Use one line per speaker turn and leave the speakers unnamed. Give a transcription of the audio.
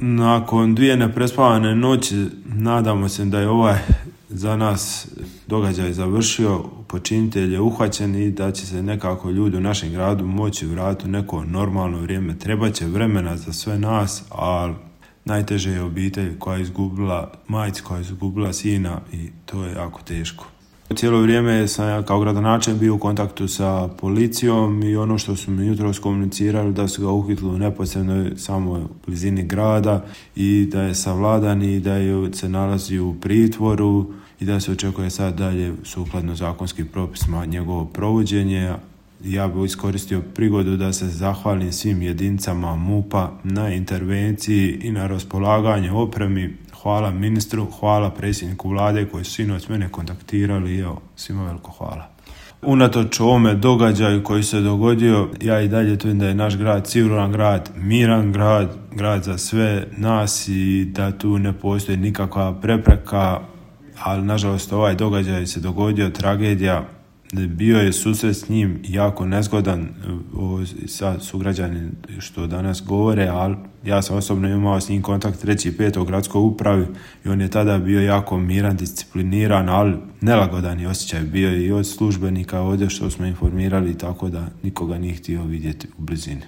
Nakon 2 neprespavane noći nadamo se da je ovaj za nas događaj završio, počinitelj je uhvaćen i da će se nekako ljudi u našem gradu moći vratiti u neko normalno vrijeme. Trebaće vremena za sve nas, ali najteže je obitelj koja je izgubila, majci koja je izgubila sina i to je jako teško. Cijelo vrijeme sam ja kao gradonačelnik bio u kontaktu sa policijom i ono što su mi jutros komunicirali da su ga uhitili u neposrednoj samoj blizini grada i da je savladan i da se nalazi u pritvoru i da se očekuje sad dalje sukladno zakonskim propisima njegovo provođenje. Ja bih iskoristio prigodu da se zahvalim svim jedinicama MUP-a na intervenciji i na raspolaganje opremi. Hvala ministru, hvala predsjedniku vlade koji su sinoć mene kontaktirali i evo, svima veliko hvala. Unatoč ovome događaju koji se dogodio, ja i dalje tvrdim da je naš grad siguran grad, miran grad, grad za sve nas i da tu ne postoji nikakva prepreka, ali nažalost ovaj događaj se dogodio, tragedija. Bio je susret s njim jako nezgodan sa sugrađani što danas govore, ali ja sam osobno imao s njim kontakt 3.5. u gradskoj upravi i on je tada bio jako miran, discipliniran, ali nelagodan je osjećaj bio i od službenika ovdje što smo informirali, tako da nikoga nije htio vidjeti u blizini.